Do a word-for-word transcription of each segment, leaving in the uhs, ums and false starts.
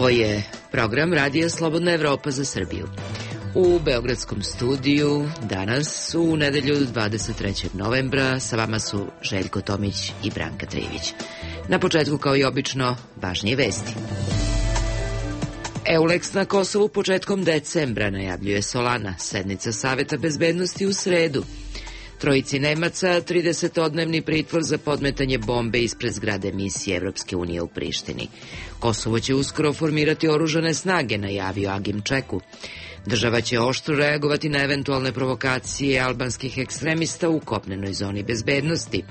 Ovo je program Radija Slobodna Evropa za Srbiju. U Beogradskom studiju danas u nedelju dvadeset trećeg novembra sa vama su Željko Tomić i Branka Trivić. Na početku, kao i obično, važnije vesti. Euleks na Kosovu početkom decembra, najavljuje Solana. Sednica Saveta bezbednosti u sredu. Trojici Nemaca tridesetodnevni pritvor za podmetanje bombe ispred zgrade misije Evropske unije u Prištini. Kosovo će uskoro formirati oružane snage, najavio Agim Čeku. Država će oštro reagovati na eventualne provokacije albanskih ekstremista u kopnenoj zoni bezbednosti,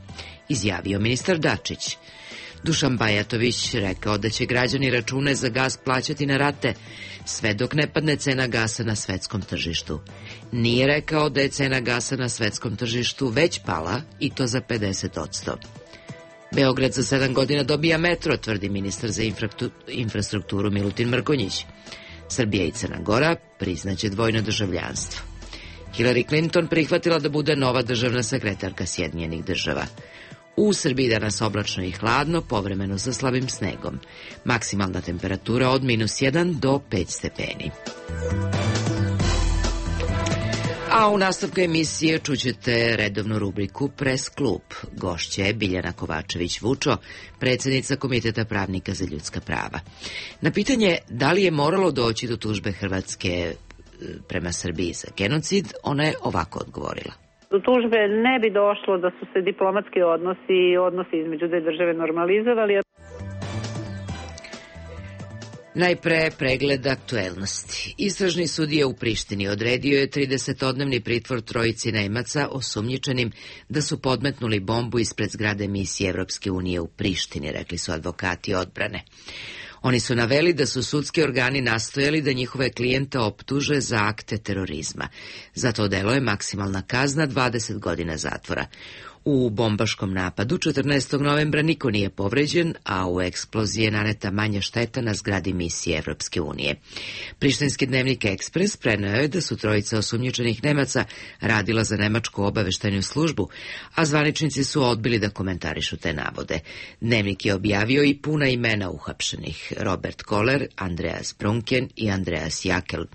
izjavio ministar Dačić. Dušan Bajatović rekao da će građani račune za gas plaćati na rate, sve dok ne padne cena gasa na svetskom tržištu. Nije rekao da je cena gasa na svetskom tržištu već pala, i to za pedeset odsto. Beograd za sedam godina dobija metro, tvrdi ministar za infrastrukturu Milutin Mrkonjić. Srbija i Crna Gora priznaće dvojno državljanstvo. Hillary Clinton prihvatila da bude nova državna sekretarka Sjedinjenih država. U Srbiji danas oblačno i hladno, povremeno sa slabim snegom. Maksimalna temperatura od minus jedan do pet stepeni. A u nastavku emisije čućete redovnu rubriku Pres klub. Gošća je Biljana Kovačević-Vučo, predsjednica Komiteta pravnika za ljudska prava. Na pitanje da li je moralo doći do tužbe Hrvatske prema Srbiji za genocid, ona je ovako odgovorila. Do tužbe ne bi došlo da su se diplomatski odnosi i odnosi između dve države normalizovali. Najpre pregled aktuelnosti. Istražni sudija u Prištini odredio je tridesetodnevni pritvor trojici Nemaca osumnjičenim da su podmetnuli bombu ispred zgrade misije Evropske unije u Prištini, rekli su advokati odbrane. Oni su naveli da su sudski organi nastojali da njihove klijente optuže za akte terorizma. Za to delo je maksimalna kazna dvadeset godina zatvora. U bombaškom napadu četrnaestog novembra niko nije povređen, a u eksploziji je naneta manja šteta na zgradi misije Evropske unije. Prištinski dnevnik Ekspres preneo je da su trojica osumnjičenih Nemaca radila za nemačku obaveštajnu službu, a zvaničnici su odbili da komentarišu te navode. Dnevnik je objavio i puna imena uhapšenih: Robert Koller, Andreas Brunken i Andreas Jakel.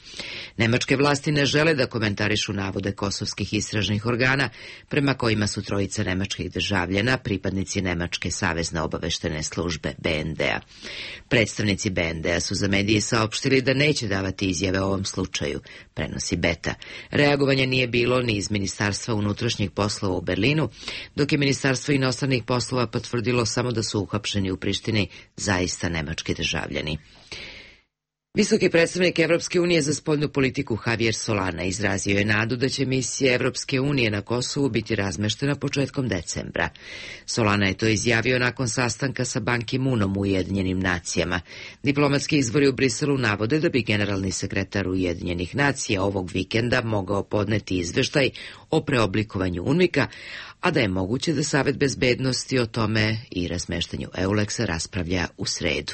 Nemačke vlasti ne žele da komentarišu navode kosovskih istražnih organa, prema kojima su trojica nemačkih državljana pripadnici Nemačke savezne obaveštene službe B N D-a. Predstavnici B N D-a su za mediji saopštili da neće davati izjave o ovom slučaju, prenosi Beta. Reagovanja nije bilo ni iz Ministarstva unutrašnjih poslova u Berlinu, dok je Ministarstvo inostranih poslova potvrdilo samo da su uhapšeni u Prištini zaista nemački državljani. Visoki predstavnik Evropske unije za spoljnu politiku Javier Solana izrazio je nadu da će misija Evropske unije na Kosovu biti razmeštena početkom decembra. Solana je to izjavio nakon sastanka sa Ban Ki-moonom u Ujedinjenim nacijama. Diplomatski izvori u Briselu navode da bi generalni sekretar Ujedinjenih nacija ovog vikenda mogao podneti izveštaj o preoblikovanju UNMIK-a, a da je moguće da Savet bezbednosti o tome i razmeštanju Euleksa raspravlja u sredu.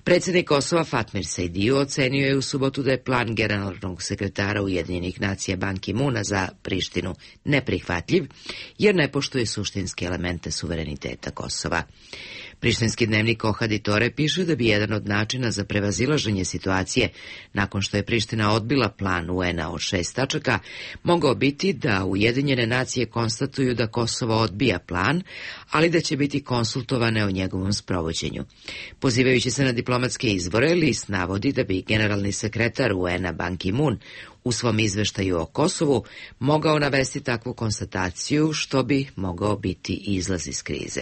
Predsjednik Kosova Fatmir Sejdiu ocenio je u subotu da je plan generalnog sekretara Ujedinjenih nacija Ban Ki-moona za Prištinu neprihvatljiv, jer ne poštuje suštinske elemente suvereniteta Kosova. Prištinski dnevnik Ohaditore piše da bi jedan od načina za prevazilaženje situacije, nakon što je Priština odbila plan U N-a od šest tačaka, mogao biti da Ujedinjene nacije konstatuju da Kosovo odbija plan, ali da će biti konsultovane o njegovom sprovođenju. Pozivajući se na diplomatske izvore, list navodi da bi generalni sekretar U N-a Ban Ki-moon u svom izveštaju o Kosovu mogao navesti takvu konstataciju, što bi mogao biti izlaz iz krize.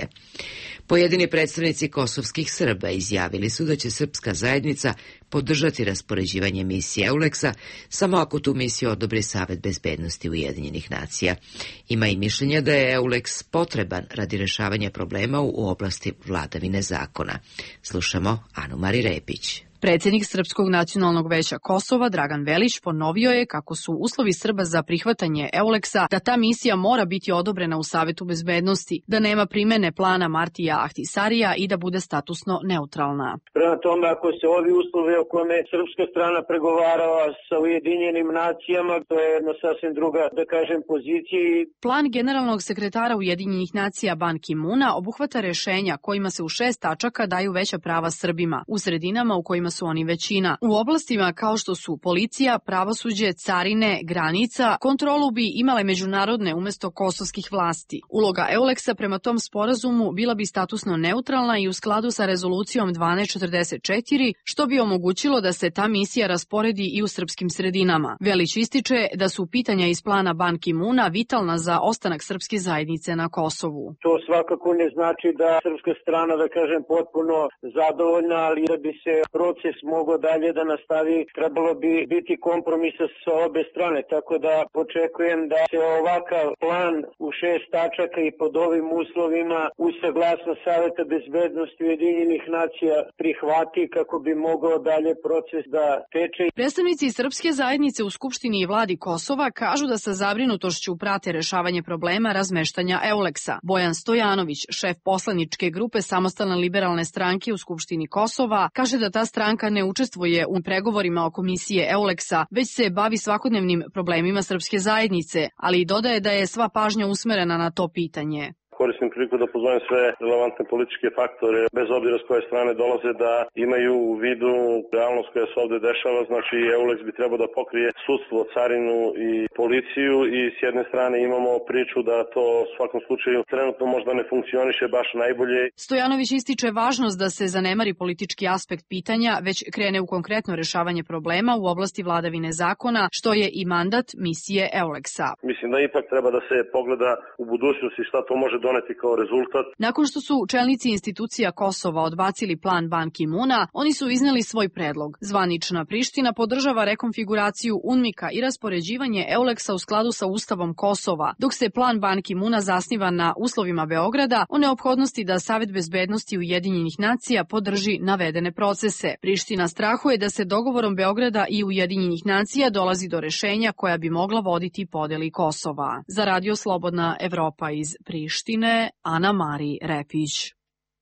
Pojedini predstavnici kosovskih Srba izjavili su da će srpska zajednica podržati raspoređivanje misije Euleksa samo ako tu misiju odobri Savet bezbednosti Ujedinjenih nacija. Ima i mišljenja da je Euleks potreban radi rešavanja problema u oblasti vladavine zakona. Slušamo Anu Mari Repić. Predsjednik Srpskog nacionalnog veća Kosova, Dragan Velić, ponovio je kako su uslovi Srba za prihvatanje Euleksa da ta misija mora biti odobrena u Savetu bezbednosti, da nema primene plana Martija Ahtisarija i da bude statusno neutralna. Prema tome, ako se ovi uslovi o kome srpska strana pregovarala sa Ujedinjenim nacijama, to je jedna sasvim druga, da kažem, pozicija. Plan generalnog sekretara Ujedinjenih nacija Ban Ki-moona obuhvata rešenja kojima se u šest tačaka daju veća prava Srbima, u sredinama u kojima kojima su oni većina. U oblastima kao što su policija, pravosuđe, carine, granica, kontrolu bi imale međunarodne umesto kosovskih vlasti. Uloga Euleksa prema tom sporazumu bila bi statusno neutralna i u skladu sa rezolucijom dvanaest četrdeset četiri, što bi omogućilo da se ta misija rasporedi i u srpskim sredinama. Velić ističe da su pitanja iz plana Ban Ki-muna vitalna za ostanak srpske zajednice na Kosovu. To svakako ne znači da srpska strana, da kažem, potpuno zadovoljna, ali da bi se proces mogao dalje da nastavi, trebalo bi biti kompromisa sa obe strane, tako da očekujem da se ovakav plan u šest tačaka i pod ovim uslovima uz saglasnost Saveta bezbednosti Ujedinjenih nacija prihvati kako bi mogao dalje proces da teče. Predstavnici srpske zajednice u Skupštini i vladi Kosova kažu da sa zabrinutošću prate rešavanje problema razmeštanja Euleksa. Bojan Stojanović, šef poslaničke grupe Samostalne liberalne stranke u Skupštini Kosova, kaže da ta stranka ne učestvuje u pregovorima o komisije Euleksa, već se bavi svakodnevnim problemima srpske zajednice, ali dodaje da je sva pažnja usmerena na to pitanje. Koristim priliku da pozovem sve relevantne političke faktore, bez obzira s koje strane dolaze, da imaju u vidu realnost koja se ovde dešava. Znači, Euleks bi trebao da pokrije sudstvo, carinu i policiju i s jedne strane imamo priču da to u svakom slučaju trenutno možda ne funkcioniše baš najbolje. Stojanović ističe važnost da se zanemari politički aspekt pitanja, već krene u konkretno rešavanje problema u oblasti vladavine zakona, što je i mandat misije Euleksa. Mislim da ipak treba da se pogleda u budućnosti šta to može doneti kao rezultat. Nakon što su čelnici institucija Kosova odbacili plan Ban Ki-muna, oni su izneli svoj predlog. Zvanična Priština podržava rekonfiguraciju UNMIK-a i raspoređivanje Euleksa u skladu sa Ustavom Kosova, dok se plan Ban Ki-muna zasniva na uslovima Beograda o neophodnosti da Savet bezbednosti Ujedinjenih nacija podrži navedene procese. Priština strahuje da se dogovorom Beograda i Ujedinjenih nacija dolazi do rešenja koja bi mogla voditi podeli Kosova. Za Radio Slobodna Evropa iz Prištine, Ana Mari Repić.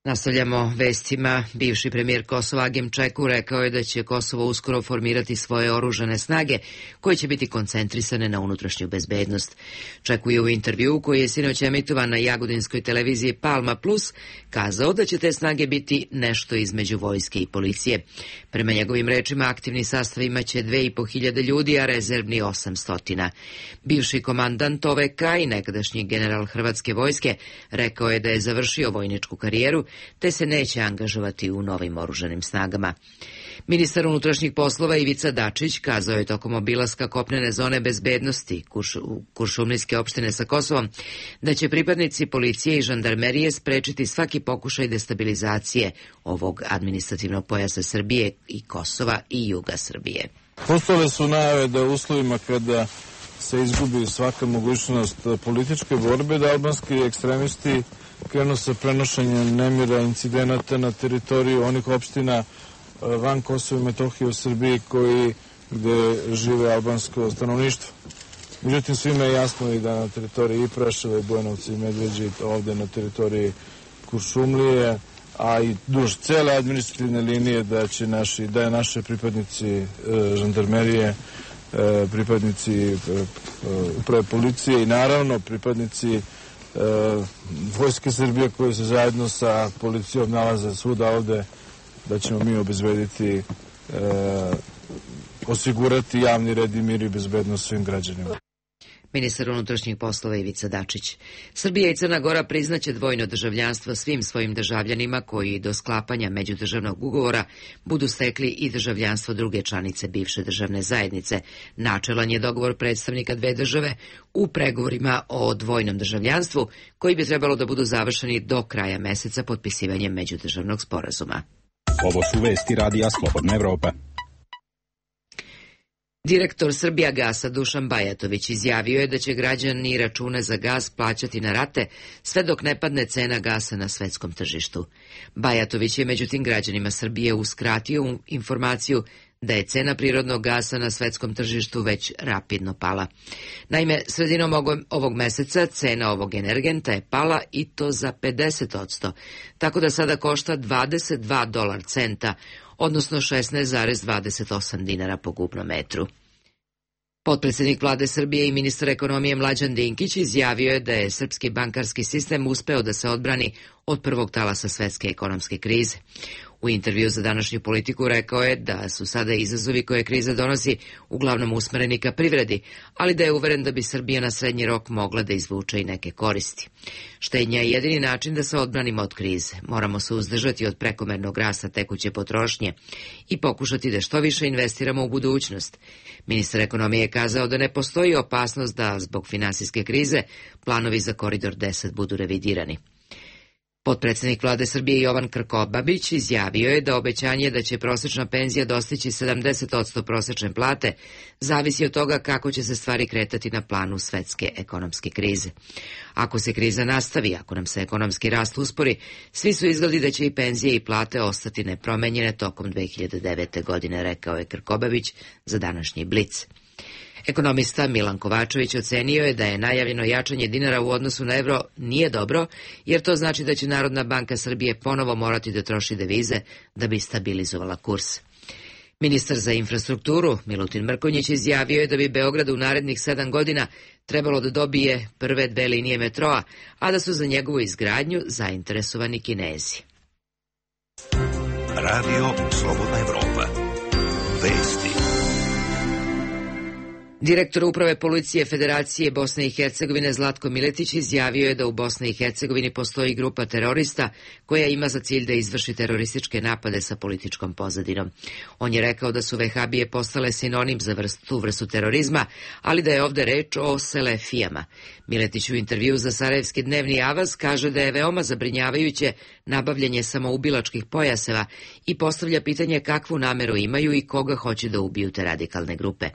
Nastavljamo vestima. Bivši premijer Kosova Agim Čeku rekao je da će Kosovo uskoro formirati svoje oružane snage koje će biti koncentrisane na unutrašnju bezbednost. Čeku je u intervjuu koji je sinoć emitovan na jagodinskoj televiziji Palma Plus kazao da će te snage biti nešto između vojske i policije. Prema njegovim rečima aktivni sastav imaće dve i po hiljade ljudi, a rezervni osamstotina. Bivši komandant O V K i nekadašnji general Hrvatske vojske rekao je da je završio vojničku karijeru te se neće angažovati u novim oružanim snagama. Ministar unutrašnjih poslova Ivica Dačić kazao je tokom obilaska kopnene zone bezbednosti u Kuršumlijske opštine sa Kosovom da će pripadnici policije i žandarmerije sprečiti svaki pokušaj destabilizacije ovog administrativnog pojasa Srbije i Kosova i juga Srbije. Postojale su najave da u uslovima kada se izgubi svaka mogućnost političke borbe, da albanski ekstremisti krenu sa prenošenjem nemira, incidenata na teritoriju onih opština van Kosova i Metohije u Srbiji koji gde žive albansko stanovništvo. Međutim, svima je jasno i da na teritoriji i Preševa i Bojnovca i Medveđe, ovde na teritoriji Kuršumlije, a i duž cele administrativne linije da će naši, da je naše pripadnici e, žandarmerije, e, pripadnici e, uprave policije i naravno pripadnici e, Vojske Srbije koji se zajedno sa policijom nalaze svuda ovde, da ćemo mi obezbediti, e, osigurati javni red i mir i bezbednost svim građanima. Ministar unutrašnjih poslova Ivica Dačić. Srbija i Crna Gora priznaće dvojno državljanstvo svim svojim državljanima koji do sklapanja međudržavnog ugovora budu stekli i državljanstvo druge članice bivše državne zajednice. Načelan je dogovor predstavnika dve države u pregovorima o dvojnom državljanstvu koji bi trebalo da budu završeni do kraja meseca potpisivanjem međudržavnog sporazuma. Ovo su vesti Radija Slobodna Evropa. Direktor Srbijagasa Dušan Bajatović izjavio je da će građani račune za gas plaćati na rate sve dok ne padne cena gasa na svetskom tržištu. Bajatović je međutim građanima Srbije uskratio informaciju da je cena prirodnog gasa na svetskom tržištu već rapidno pala. Naime, sredinom ovog meseca cena ovog energenta je pala i to za pedeset posto, tako da sada košta dvadeset dva dolar centa, odnosno šesnaest zarez dvadeset osam dinara po kubnom metru. Potpredsjednik vlade Srbije i ministar ekonomije Mlađan Dinkić izjavio je da je srpski bankarski sistem uspeo da se odbrani od prvog talasa svetske ekonomske krize. U intervju za današnju Politiku rekao je da su sada izazovi koje kriza donosi uglavnom usmereni ka privredi, ali da je uveren da bi Srbija na srednji rok mogla da izvuče i neke koristi. Štednja je jedini način da se odbranimo od krize. Moramo se uzdržati od prekomernog rasta tekuće potrošnje i pokušati da što više investiramo u budućnost. Ministar ekonomije je kazao da ne postoji opasnost da zbog finansijske krize planovi za Koridor deset budu revidirani. Potpredsednik vlade Srbije Jovan Krkobabić izjavio je da obećanje da će prosečna penzija dostići sedamdeset posto prosečne plate zavisi od toga kako će se stvari kretati na planu svetske ekonomske krize. Ako se kriza nastavi, ako nam se ekonomski rast uspori, svi su izgledi da će i penzije i plate ostati nepromenjene tokom dve hiljade devete. godine, rekao je Krkobabić za današnji Blic. Ekonomista Milan Kovačević ocenio je da je najavljeno jačanje dinara u odnosu na evro nije dobro, jer to znači da će Narodna banka Srbije ponovo morati da troši devize da bi stabilizovala kurs. Ministar za infrastrukturu Milutin Mrkonjić izjavio je da bi Beograd u narednih sedam godina trebalo da dobije prve dve linije metroa, a da su za njegovu izgradnju zainteresovani Kinezi. Radio Slobodna Evropa. Vesti. Direktor Uprave policije Federacije Bosne i Hercegovine Zlatko Miletić izjavio je da u Bosni i Hercegovini postoji grupa terorista koja ima za cilj da izvrši terorističke napade sa političkom pozadinom. On je rekao da su vehabije postale sinonim za vrstu, tu vrstu terorizma, ali da je ovde reč o selefijama. Miletić u intervju za Sarajevski dnevni avaz kaže da je veoma zabrinjavajuće nabavljanje samoubilačkih pojaseva i postavlja pitanje kakvu nameru imaju i koga hoće da ubiju te radikalne grupe.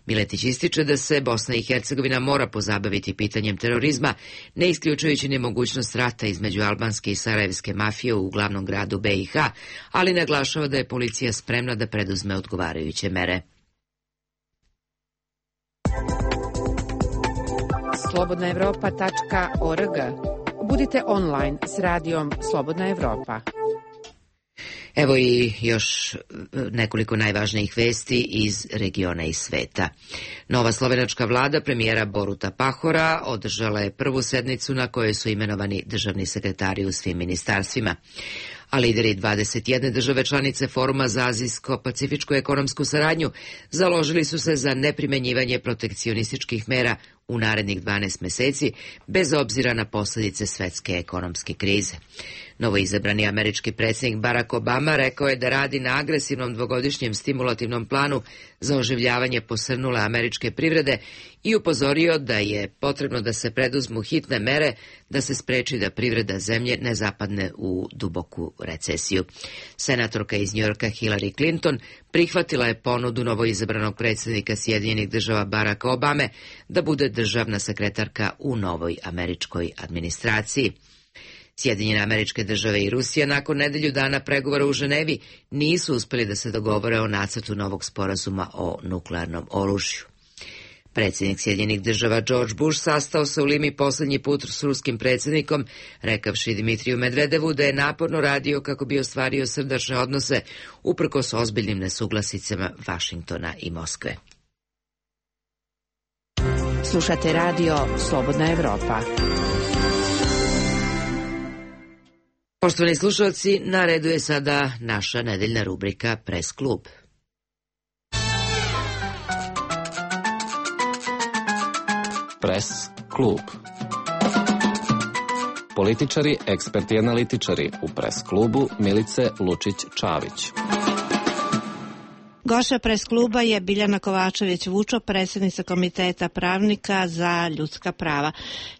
Miletić ističe da se Bosna i Hercegovina mora pozabaviti pitanjem terorizma, ne isključujući nemogućnost rata između albanske i sarajevske mafije u glavnom gradu B i H, ali naglašava da je policija spremna da preduzme odgovarajuće mere. slobodna evropa tačka org. Budite online s radijom Slobodna Evropa. Evo i još nekoliko najvažnijih vesti iz regiona i sveta. Nova slovenačka vlada premijera Boruta Pahora održala je prvu sednicu na kojoj su imenovani državni sekretari u svim ministarstvima. A lideri dvadeset jedne države članice Foruma za azijsko-pacifičku ekonomsku saradnju založili su se za neprimenjivanje protekcionističkih mera u narednih dvanaest meseci, bez obzira na posljedice svetske ekonomske krize. Novoizabrani američki predsjednik Barack Obama rekao je da radi na agresivnom dvogodišnjem stimulativnom planu za oživljavanje posrnule američke privrede i upozorio da je potrebno da se preduzmu hitne mere da se spreči da privreda zemlje ne zapadne u duboku recesiju. Senatorka iz Njujorka Hillary Clinton prihvatila je ponudu novoizabranog predsjednika Sjedinjenih država Baracka Obame da bude državna sekretarka u novoj američkoj administraciji. Sjedinjene Američke Države i Rusija nakon nedelju dana pregovora u Ženevi nisu uspeli da se dogovore o nacrtu novog sporazuma o nuklearnom oružju. Predsjednik Sjedinjenih Država George Bush sastao se u Limi posljednji put s ruskim predsjednikom, rekavši Dimitriju Medvedevu da je naporno radio kako bi ostvario srdačne odnose uprkos ozbiljnim nesuglasicama Vašingtona i Moskve. Slušate radio Slobodna Evropa. Poštovani slušalci, na redu je sada naša nedeljna rubrika Pres klub. Pres klub. Političari, eksperti i analitičari u Pres klubu Milice Lučić-Čavić. Goša Pres kluba je Biljana Kovačević-Vučo, predsjednica Komiteta pravnika za ljudska prava.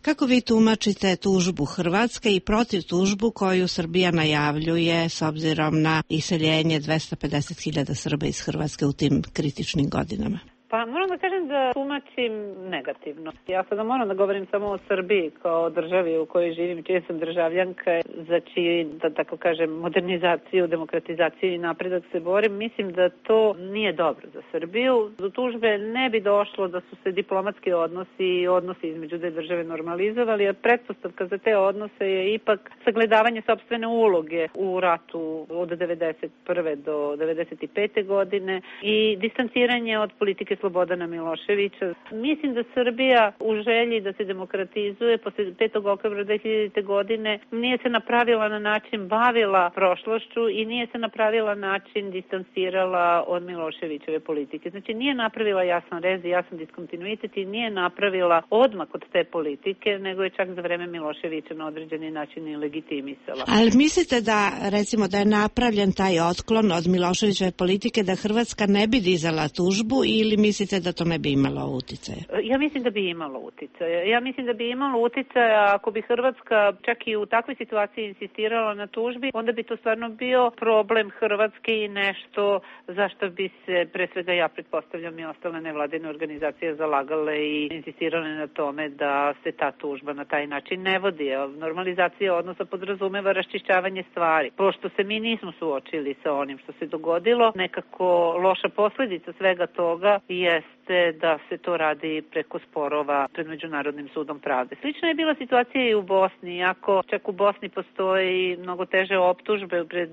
Kako vi tumačite tužbu Hrvatske i protiv tužbu koju Srbija najavljuje s obzirom na iseljenje dvesta pedeset hiljada Srba iz Hrvatske u tim kritičnim godinama? Pa moram da kažem da tumačim negativno. Ja sada moram da govorim samo o Srbiji kao državi u kojoj živim, čija sam državljanka, za čiji, da tako kažem, modernizaciju, demokratizaciju i napredak se borim. Mislim da to nije dobro za Srbiju. Do tužbe ne bi došlo da su se diplomatski odnosi i odnosi između dve države normalizovali, a pretpostavka za te odnose je ipak sagledavanje sopstvene uloge u ratu od devedeset prve do devedeset pete godine i distanciranje od politike Slobodana Miloševića. Mislim da Srbija u želji da se demokratizuje posle petog oktobra dve hiljadite. godine nije se na pravilan način bavila prošlošću i nije se na pravilan način distancirala od Miloševićeve politike. Znači nije napravila jasan rez i jasan diskontinuitet i nije napravila odmak od te politike, nego je čak za vreme Miloševića na određeni način i legitimisala. Ali mislite da, recimo, da je napravljen taj otklon od Miloševićeve politike da Hrvatska ne bi dizala tužbu ili mislite da to ne bi imalo uticaja? Ja mislim da bi imalo uticaja. Ja mislim da bi imalo uticaja ako bi Hrvatska čak i u takvoj situaciji insistirala na tužbi, onda bi to stvarno bio problem Hrvatske i nešto zašto bi se, pre svega ja pretpostavljam, i ostale nevladine organizacije zalagale i insistirale na tome da se ta tužba na taj način ne vodi. Normalizacija odnosa podrazumeva raščišćavanje stvari. Pošto se mi nismo suočili sa onim što se dogodilo, nekako loša posledica svega toga jeste da se to radi preko sporova pred Međunarodnim sudom pravde. Slična je bila situacija i u Bosni, iako čak u Bosni postoji mnogo teže optužbe pred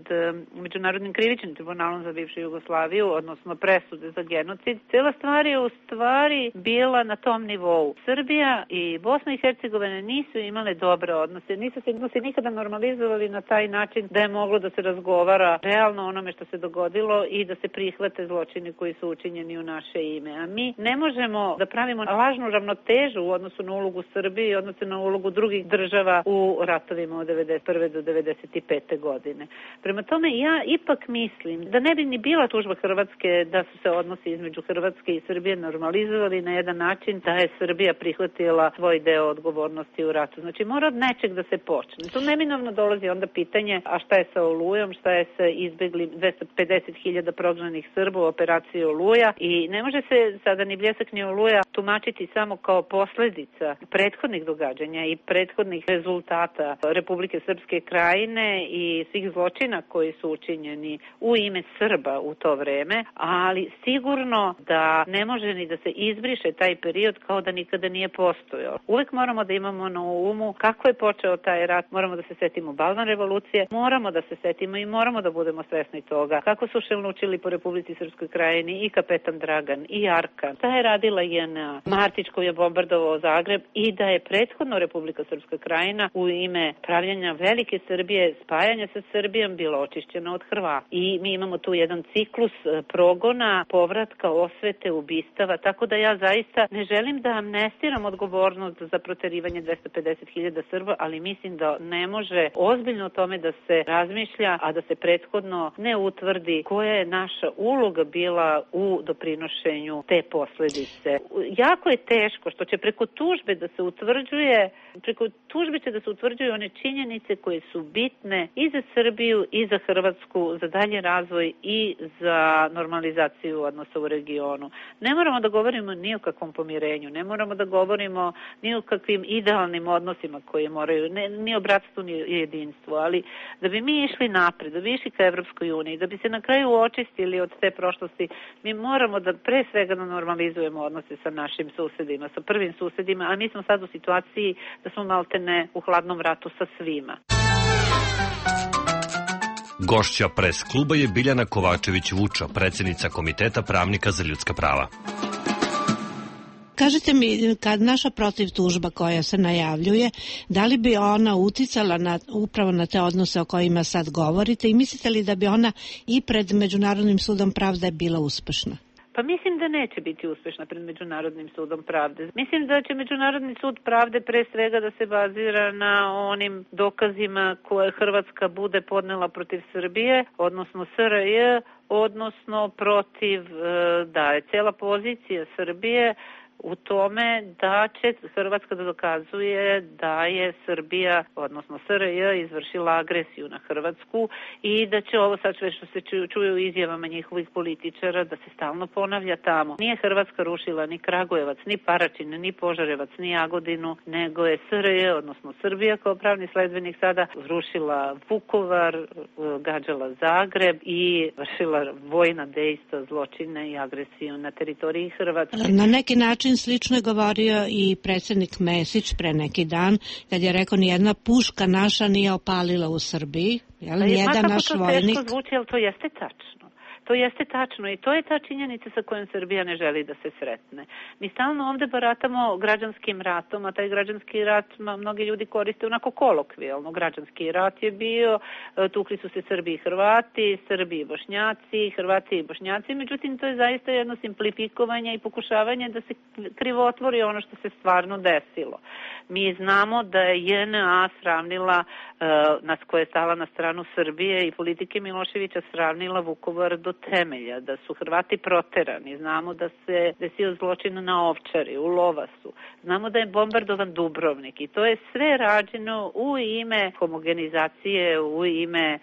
Međunarodnim krivičnim tribunalom za bivšu Jugoslaviju, odnosno presude za genocid. Cela stvar je u stvari bila na tom nivou. Srbija i Bosna i Hercegovina nisu imale dobre odnose, nisu se odnose nikada normalizovali na taj način da je moglo da se razgovara realno onome što se dogodilo i da se prihvate zločini koji su učinjeni u naše ime. A mi ne možemo da pravimo lažnu ravnotežu u odnosu na ulogu Srbije i odnosu na ulogu drugih država u ratovima od devedeset prve do devedeset pete. godine. Prema tome, ja ipak mislim da ne bi ni bila tužba Hrvatske da su se odnosi između Hrvatske i Srbije normalizovali na jedan način da je Srbija prihvatila svoj deo odgovornosti u ratu. Znači, mora od nečeg da se počne. Tu neminovno dolazi onda pitanje, a šta je sa Olujom, šta je sa izbeglim dvesta pedeset hiljada prognanih Srba u operaciji Oluja i ne može se sada ni Bljesak ni Oluja tumačiti samo kao posledica prethodnih događanja i prethodnih rezultata Republike Srpske Krajine i svih zločina koji su učinjeni u ime Srba u to vreme, ali sigurno da ne može ni da se izbriše taj period kao da nikada nije postojao. Uvek moramo da imamo na umu kako je počeo taj rat, moramo da se setimo Balvan revolucije, moramo da se setimo i moramo da budemo svesni toga kako su šelnučili po Republici Srpskoj Krajini i kapetan Dragan i Arkan. Ta je radila J N A, Martić koji je bombardovao Zagreb i da je prethodno Republika Srpska Krajina u ime pravljenja velike Srbije, spajanja sa Srbijom bila očišćena od Hrvata. I mi imamo tu jedan ciklus progona, povratka, osvete, ubistava, tako da ja zaista ne želim da amnestiram odgovornost za proterivanje dvesta pedeset hiljada Srba, ali mislim da ne može ozbiljno o tome da se razmišlja, a da se prethodno ne utvrdi koja je naša uloga bila u doprinošenju te posledice. Jako je teško što će preko tužbe da se utvrđuje, preko tužbe će da se utvrđuju one činjenice koje su bitne i za Srbiju i za Hrvatsku, za dalji razvoj i za normalizaciju odnosa u regionu. Ne moramo da govorimo ni o kakvom pomirenju, ne moramo da govorimo ni o kakvim idealnim odnosima koje moraju, ne, ni o bratstvu ni o jedinstvu, ali da bi mi išli napred, da bi išli ka Evropskoj uniji, da bi se na kraju očistili od te prošlosti, mi moramo da pre svega da normalizujemo odnose sa našim susedima, sa prvim susedima, a mi smo sad u situaciji da smo maltene u hladnom ratu sa svima. Gošća pres kluba je Biljana Kovačević-Vučo, predsjednica Komiteta pravnika za ljudska prava. Kažite mi, kad naša protiv tužba koja se najavljuje, da li bi ona uticala na, upravo na te odnose o kojima sad govorite i mislite li da bi ona i pred Međunarodnim sudom pravde bila uspešna? Pa mislim da neće biti uspešna pred Međunarodnim sudom pravde. Mislim da će Međunarodni sud pravde pre svega da se bazira na onim dokazima koje Hrvatska bude podnela protiv Srbije, odnosno S R J, odnosno protiv, da je cela pozicija Srbije u tome da će Hrvatska da dokazuje da je Srbija, odnosno S R J, izvršila agresiju na Hrvatsku i da će ovo sad sve što se čuje u izjavama njihovih političara da se stalno ponavlja tamo. Nije Hrvatska rušila ni Kragujevac, ni Paraćin, ni Požarevac, ni Jagodinu, nego je S R J, odnosno Srbija kao pravni sledbenik sada rušila Vukovar, gađala Zagreb i vršila vojna dejstva, zločine i agresiju na teritoriji Hrvatske. Na neki način slično je govorio i predsjednik Mesić pre neki dan, kad je rekao nijedna puška naša nije opalila u Srbiji, jel? Nijedan naš vojnik. Teško zvuči, ali to jeste tačno. To jeste tačno i to je ta činjenica sa kojom Srbija ne želi da se sretne. Mi stalno ovde baratamo građanskim ratom, a taj građanski rat mnogi ljudi koriste onako kolokvijalno. Građanski rat je bio, tukli su se Srbi i Hrvati, Srbi i Bošnjaci, Hrvati i Bošnjaci, međutim to je zaista jedno simplifikovanje i pokušavanje da se krivotvori ono što se stvarno desilo. Mi znamo da je J N A sravnila, nas koja je stala na stranu Srbije i politike Miloševića sravnila Vukovar do temelja, da su Hrvati proterani, znamo da se desio zločin na Ovčari, u Lovasu, znamo da je bombardovan Dubrovnik i to je sve rađeno u ime homogenizacije, u ime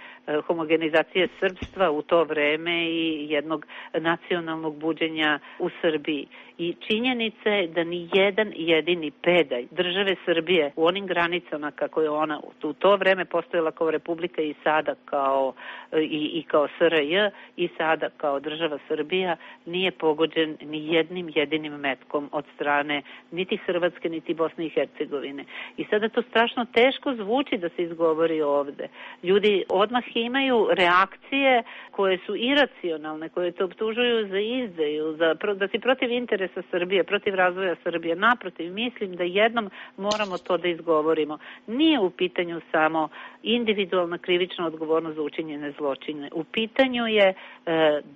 homogenizacije srpstva u to vreme i jednog nacionalnog buđenja u Srbiji. I činjenica je da ni jedan jedini pedalj države Srbije u onim granicama kako je ona u to vreme postojala kao republika i sada kao i, i kao S R J i sada kao država Srbija nije pogođen ni jednim jedinim metkom od strane niti Hrvatske niti Bosne i Hercegovine. I sada to strašno teško zvuči da se izgovori ovde. Ljudi odmah imaju reakcije koje su iracionalne, koje te optužuju za izdaju, za, da si protiv interesa Srbije, protiv razvoja Srbije. Naprotiv, mislim da jednom moramo to da izgovorimo. Nije u pitanju samo individualna krivična odgovornost za učinjene zločine. U pitanju je e,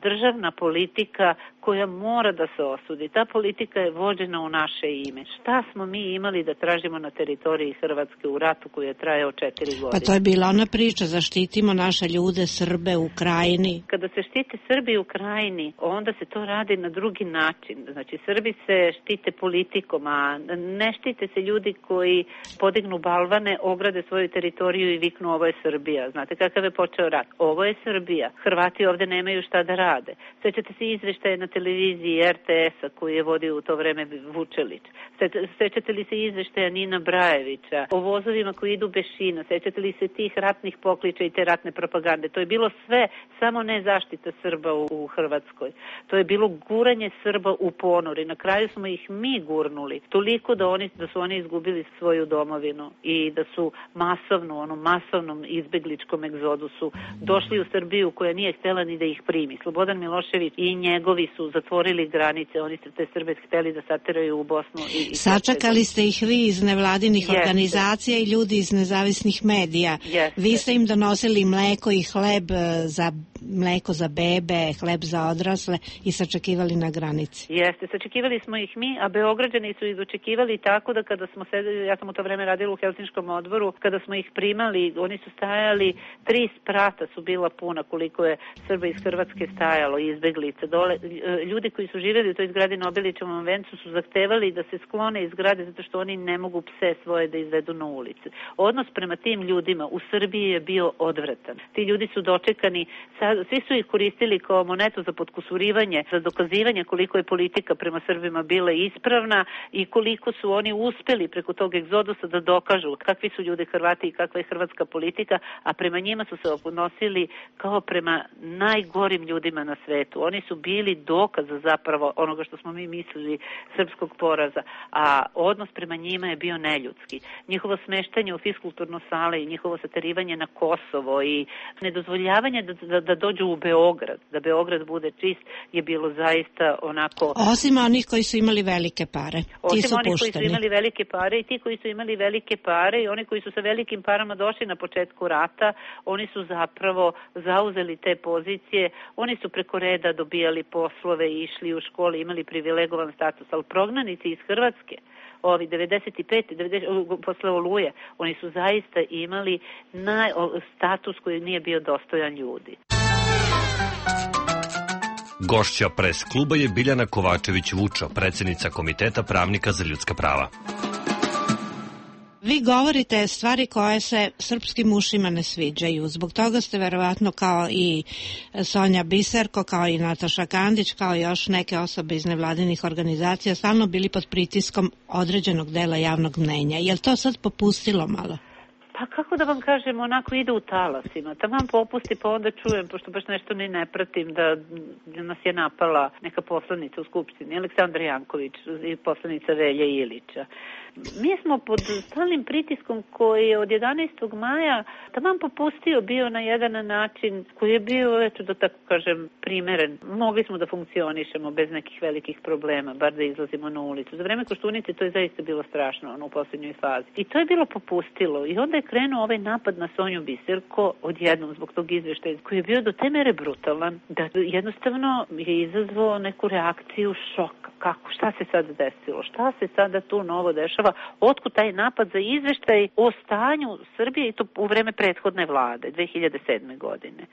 državna politika koja mora da se osudi. Ta politika je vođena u naše ime. Šta smo mi imali da tražimo na teritoriji Hrvatske u ratu koji je trajao četiri godine? Pa to je bila ona priča, zaštitimo naše ljude, Srbe u Krajini. Kada se štite Srbi u Krajini, onda se to radi na drugi način. Znači, Srbi se štite politikom, a ne štite se ljudi koji podignu balvane, ograde svoju teritoriju i viknu ovo je Srbija. Znate kakav je počeo rat? Ovo je Srbija. Hrvati ovde nemaju šta da rade. Sećate se izveštaje na televiziji R T S-a koji je vodio u to vreme Vučelić. Sećate li se izveštaja Nina Brajevića o vozovima koji idu bez šina? Sećate li se tih ratnih pokliča i te ratne propagande? To je bilo sve, samo ne zaštita Srba u, u Hrvatskoj. To je bilo guranje Srba u ponor i na kraju smo ih mi gurnuli. Toliko da, oni, da su oni izgubili svoju domovinu i da su masovno, ono masovnom izbegličkom egzodusu došli u Srbiju koja nije htjela ni da ih primi. Slobodan Milošević i njegovi su zatvorili granice, oni su te Srbe htjeli da sateraju u Bosnu. I, i Sačekali ste ih vi iz nevladinih Jeste. organizacija i ljudi iz nezavisnih medija. Jeste. Vi ste im donosili mleko i hleb za mleko za bebe, hleb za odrasle i sačekivali na granici. Jeste, sačekivali smo ih mi, a Beograđani su ih dočekivali tako da kada smo sedeli, ja sam u to vreme radila u Helsinškom odboru, kada smo ih primali, oni su stajali, tri sprata su bila puna koliko je Srba iz Hrvatske stajalo i izbeglica. Dole, ljudi koji su živjeli u toj zgradi na Obilićevom vencu su zahtevali da se sklone iz zgrade zato što oni ne mogu pse svoje da izvedu na ulicu. Odnos prema tim ljudima u Srbiji je bio odvratan. Ti ljudi su dočekani, svi su ih koristili kao monetu za potkusurivanje, za dokazivanje koliko je politika prema Srbima bila ispravna i koliko su oni uspeli preko tog egzodusa da dokažu kakvi su ljudi Hrvati i kakva je hrvatska politika, a prema njima su se odnosili kao prema najgorim ljudima na svetu. Oni su bili dokaz zapravo onoga što smo mi mislili srpskog poraza, a odnos prema njima je bio neljudski. Njihovo smeštanje u fiskulturno sale i njihovo saterivanje na Kosovo i nedozvoljavanje da, da, da dođu u Beograd, da Beograd bude čist je bilo zaista onako... Osim onih koji su imali velike pare. Osim ti su onih pušteni. koji su imali velike pare i ti koji su imali velike pare i oni koji su sa velikim parama došli na početku rata, oni su zapravo zauzeli te pozicije, oni su preko reda dobijali poslove i išli u škole, imali privilegovan status, ali prognanici iz Hrvatske, ovi devedeset pet devedeset posle Oluje, oni su zaista imali naj, status koji nije bio dostojan ljudi. Gošća pres kluba je Biljana Kovačević-Vučo, predsjednica Komiteta pravnika za ljudska prava. Vi govorite stvari koje se srpskim ušima ne sviđaju. Zbog toga ste verovatno kao i Sonja Biserko, kao i Nataša Kandić, kao i još neke osobe iz nevladinih organizacija stalno bili pod pritiskom određenog dela javnog mnenja. Je li to sad popustilo malo? Pa kako da vam kažem, onako ide u talasima. Taman popusti, pa onda čujem, pošto baš nešto ni ne pratim, da nas je napala neka poslanica u Skupštini, Aleksandar Janković i poslanica Velja Ilića. Mi smo pod stalnim pritiskom koji je od jedanaestog maja taman popustio bio na jedan način koji je bio, eto da tako kažem, primeren. Mogli smo da funkcionišemo bez nekih velikih problema, bar da izlazimo na ulicu. Za vreme Koštunice to je zaista bilo strašno, ono u poslednjoj fazi. I to je bilo popustilo. I onda je krenuo ovaj napad na Sonju Biserko odjednom zbog tog izveštaja koji je bio do te mere brutalan da jednostavno je izazvao neku reakciju šoka. Kako, šta se sad desilo? Šta se sada tu novo dešava? Otkud taj napad za izveštaj o stanju Srbije i to u vreme prethodne vlade, dve hiljade sedme. godine.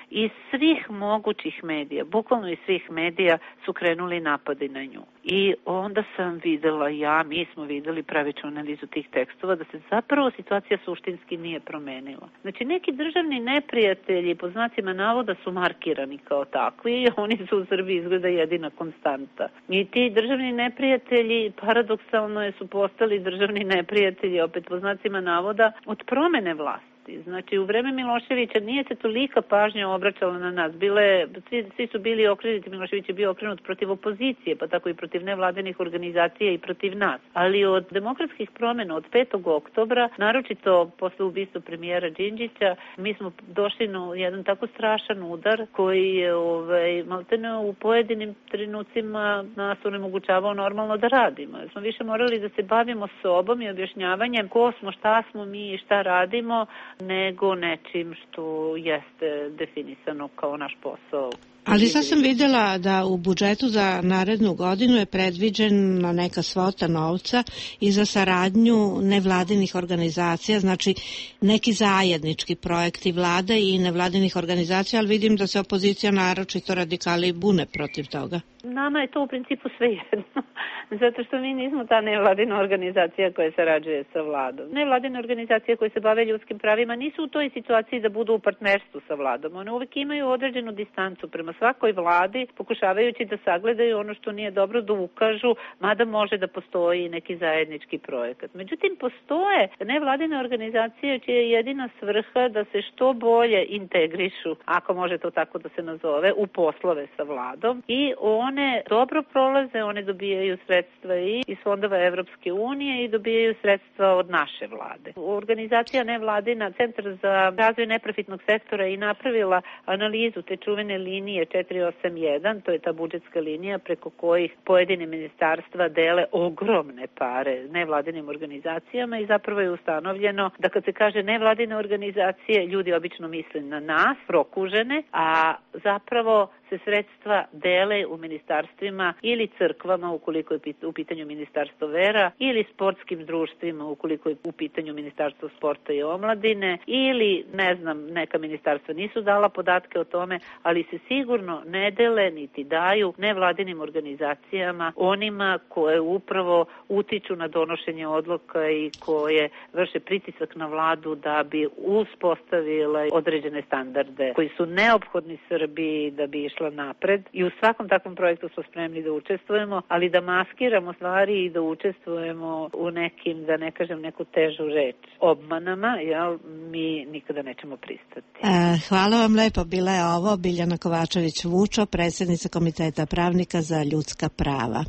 Iz svih mogućih medija, bukvalno iz svih medija su krenuli napadi na nju. I onda sam videla, ja, mi smo videli pravičnu analizu tih tekstova, da se zapravo situacija suštinski nije promenila. Znači, neki državni neprijatelji, po znacima navoda, su markirani kao takvi i oni su u Srbiji izgleda jedina konstanta. I ti državni neprijatelji, paradoksalno su postali državni neprijatelji, opet po znacima navoda, od promene vlasti. Znači, u vreme Miloševića nije se tolika pažnja obraćala na nas. Bile, svi, svi su bili okrenuti, Milošević je bio okrenut protiv opozicije, pa tako i protiv nevladinih organizacija i protiv nas. Ali od demokratskih promjena od petog oktobra, naročito posle ubistva premijera Đinđića, mi smo došli na jedan tako strašan udar koji je ovaj, maltene u pojedinim trenucima nas onemogućavao normalno da radimo. Jer smo više morali da se bavimo sobom i objašnjavanjem ko smo, šta smo mi i šta radimo, nego nečim što jeste definisano kao naš posao. Ali sad sam vidjela da u budžetu za narednu godinu je predviđena neka svota novca i za saradnju nevladinih organizacija, znači neki zajednički projekti vlade i nevladinih organizacija, ali vidim da se opozicija naročito radikali bune protiv toga. Nama je to u principu sve jedno, zato što mi nismo ta nevladina organizacija koja sarađuje sa vladom. Nevladine organizacije koje se bave ljudskim pravima nisu u toj situaciji da budu u partnerstvu sa vladom. One uvek imaju određenu distancu prema svakoj vladi, pokušavajući da sagledaju ono što nije dobro, da ukažu, mada može da postoji neki zajednički projekat. Međutim, postoje nevladine organizacije čija je jedina svrha da se što bolje integrišu, ako može to tako da se nazove, u poslove sa vladom i on One dobro prolaze, one dobijaju sredstva i iz fondova Evropske unije i dobijaju sredstva od naše vlade. Organizacija nevladina, Centar za razvoj neprofitnog sektora je napravila analizu te čuvene linije četiri osam jedan, to je ta budžetska linija preko kojih pojedine ministarstva dele ogromne pare nevladinim organizacijama i zapravo je ustanovljeno da kad se kaže nevladine organizacije, ljudi obično misle na nas, prokužene, a zapravo se sredstva dele u ministarstvima ili crkvama ukoliko je u pitanju ministarstvo vera ili sportskim društvima ukoliko je u pitanju ministarstvo sporta i omladine ili ne znam, neka ministarstva nisu dala podatke o tome, ali se sigurno ne dele niti daju nevladinim organizacijama, onima koje upravo utiču na donošenje odluka i koje vrše pritisak na vladu da bi uspostavila određene standarde koji su neophodni Srbiji da bi išla napred i u svakom takvom projektu smo spremni da učestvujemo, ali da maskiramo stvari i da učestvujemo u nekim, da ne kažem neku težu reč, obmanama, jel, mi nikada nećemo pristati. E, hvala vam lepo, bila je ovo Biljana Kovačević-Vučo, predsjednica Komiteta pravnika za ljudska prava.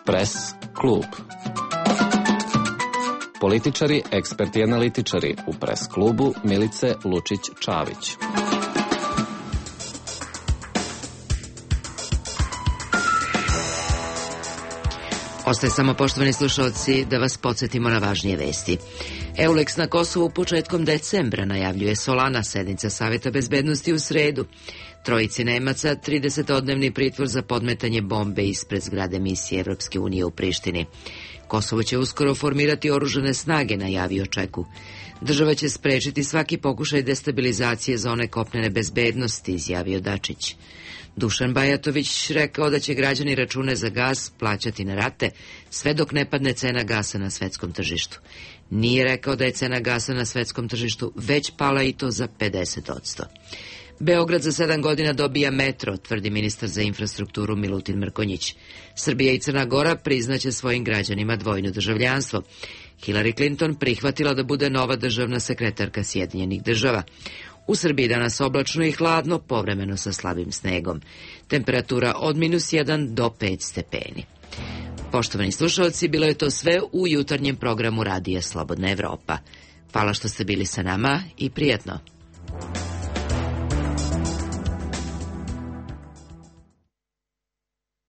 Pres klub. Političari, eksperti i analitičari u Pres klubu Milice Lučić-Čavić. Ostaje samo, poštovani slušalci, da vas podsjetimo na važnije vesti. Euleks na Kosovu početkom decembra, najavljuje Solana, sednica Saveta bezbednosti u sredu. Trojici Nemaca tridesetodnevni pritvor za podmetanje bombe ispred zgrade misije Evropske unije u Prištini. Kosovo će uskoro formirati oružane snage, najavio Čeku. Država će sprečiti svaki pokušaj destabilizacije zone kopnene bezbednosti, izjavio Dačić. Dušan Bajatović rekao da će građani račune za gas plaćati na rate sve dok ne padne cena gasa na svetskom tržištu. Nije rekao da je cena gasa na svetskom tržištu već pala i to za pedeset odsto. Beograd za sedam godina dobija metro, tvrdi ministar za infrastrukturu Milutin Mrkonjić. Srbija i Crna Gora priznaće svojim građanima dvojno državljanstvo. Hillary Clinton prihvatila da bude nova državna sekretarka Sjedinjenih država. U Srbiji danas oblačno i hladno, povremeno sa slabim snegom. Temperatura od minus jedan do pet stepeni. Poštovani slušalci, bilo je to sve u jutarnjem programu Radija Slobodna Evropa. Hvala što ste bili sa nama i prijatno.